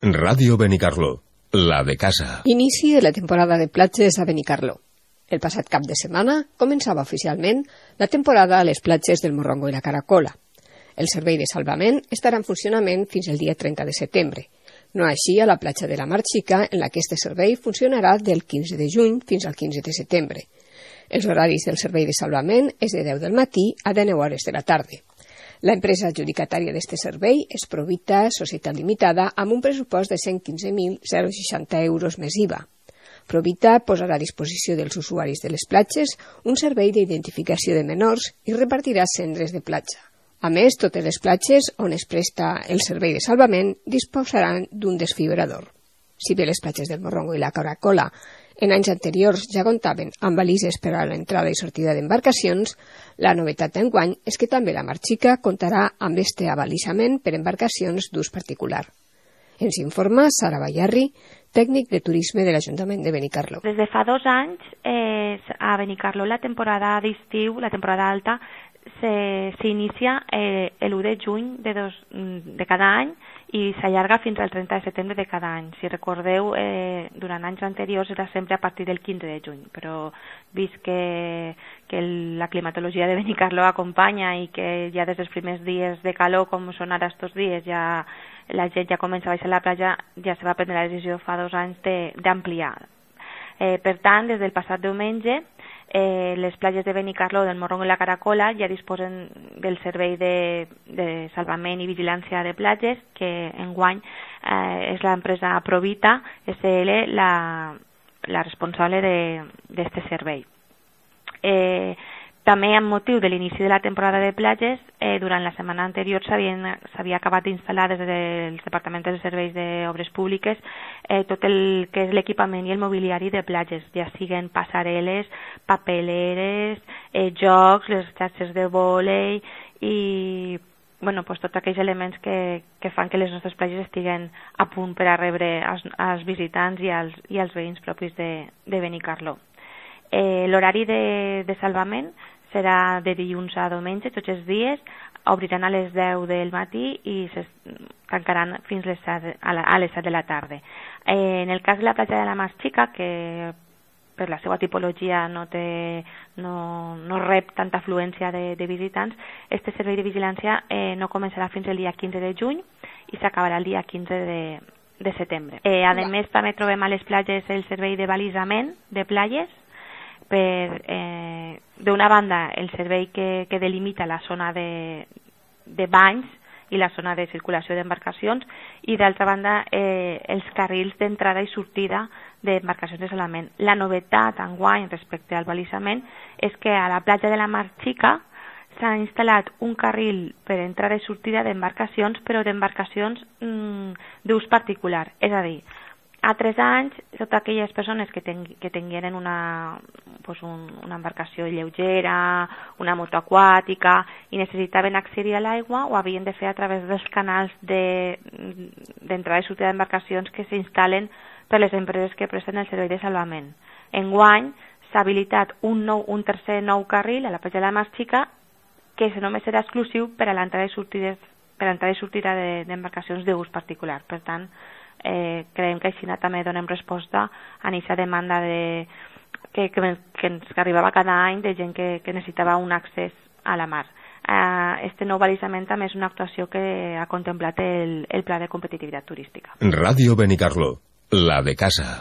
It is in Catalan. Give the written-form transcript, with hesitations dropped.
Radio Benicarló, la de casa. Inici de la temporada de platges a Benicarló. El passat cap de setmana començava oficialment la temporada a les platges del Morrongo i la Caracola. El servei de salvament estarà en funcionament fins el dia 30 de setembre. No així a la platja de la Mar Xica, en la que este servei funcionarà del 15 de juny fins al 15 de setembre. Els horaris del servei de salvament és de 10 del matí a 19 hores de la tarda. La empresa adjudicatària d'este servei és Provita Societat Limitada amb un pressupost de 115.060 euros més IVA. Provita posarà a disposició dels usuaris de les platges un servei d'identificació de menors i repartirà cendres de platja. A més, totes les platges on es presta el servei de salvament disposaran d'un desfibrador. Si bé les platges del Morrongo i la Caracola en anys anteriors ja comptaven amb balises per a l'entrada i sortida d'embarcacions, la novetat d'enguany és que també la Mar Xica comptarà amb este abalisament per embarcacions d'ús particular. Ens informa Sara Bayarri, tècnic de turisme de l'Ajuntament de Benicarló. Des de fa 2 anys a Benicarló la temporada d'estiu, la temporada alta, s'inicia l'1 de juny de cada any i s'allarga fins al 30 de setembre de cada any. Si recordeu, durant anys anteriors era sempre a partir del 15 de juny, però vist que la climatologia de Benicarló acompanya i que ja des dels primers dies de calor, com són ara estos dies, ja la gent ja comença a baixar a la platja, ja se va prendre la decisió fa 2 anys d'ampliar. Per tant, des del passat diumenge, les platges de Benicarló, del Morrongo i la Caracola ja disposen del servei de salvament i vigilància de platges, que enguany és l'empresa Provita SL la responsable d'este servei. També amb motiu de l'inici de la temporada de platges, durant la setmana anterior s'havia acabat d'instal·lar des dels departaments de serveis d'obres públiques tot el que és l'equipament i el mobiliari de platges, ja siguen passarel·les, papeleres, jocs, les xarxes de vòlei i tots aquells elements que fan que les nostres platges estiguen a punt per a rebre els visitants i els veïns propis de Benicarló. L'horari de salvament serà de dilluns a diumenge, tots els dies, obriran a les 10 del matí i es tancaran fins a les 7 de la tarda. En el cas de la platja de la Mar Xica, que per la seva tipologia no rep tanta afluència de visitants, este servei de vigilància no començarà fins el dia 15 de juny i s'acabarà el dia 15 de setembre. A més, també trobem a les platges el servei de balisament de platges, d'una banda el servei que delimita la zona de banys i la zona de circulació d'embarcacions i d'altra banda els carrils d'entrada i sortida d'embarcacions de salvament. La novetat enguany respecte al balisament és que a la platja de la Mar Xica s'ha instal·lat un carril per entrada i sortida d'embarcacions, però d'embarcacions d'ús particular, és a dir, a 3 anys, totes aquelles persones que tingueren una embarcació lleugera, una moto aquàtica i necessitaven accedir a l'aigua, ho havien de fer a través dels canals d'entrada i sortida d'embarcacions que s'instal·len per les empreses que presten el servei de salvament. Enguany s'ha habilitat un tercer nou carril a la platja de la Mar Xica que només serà exclusiu per a l'entrada i sortida d'embarcacions d'ús particular. Per tant, creiem que així també donem resposta a aquesta demanda que ens arribava cada any de gent que necessitava un accés a la mar. Este nou balisament també és una actuació que ha contemplat el Pla de Competitivitat Turística. Radio Benicarló, la de casa.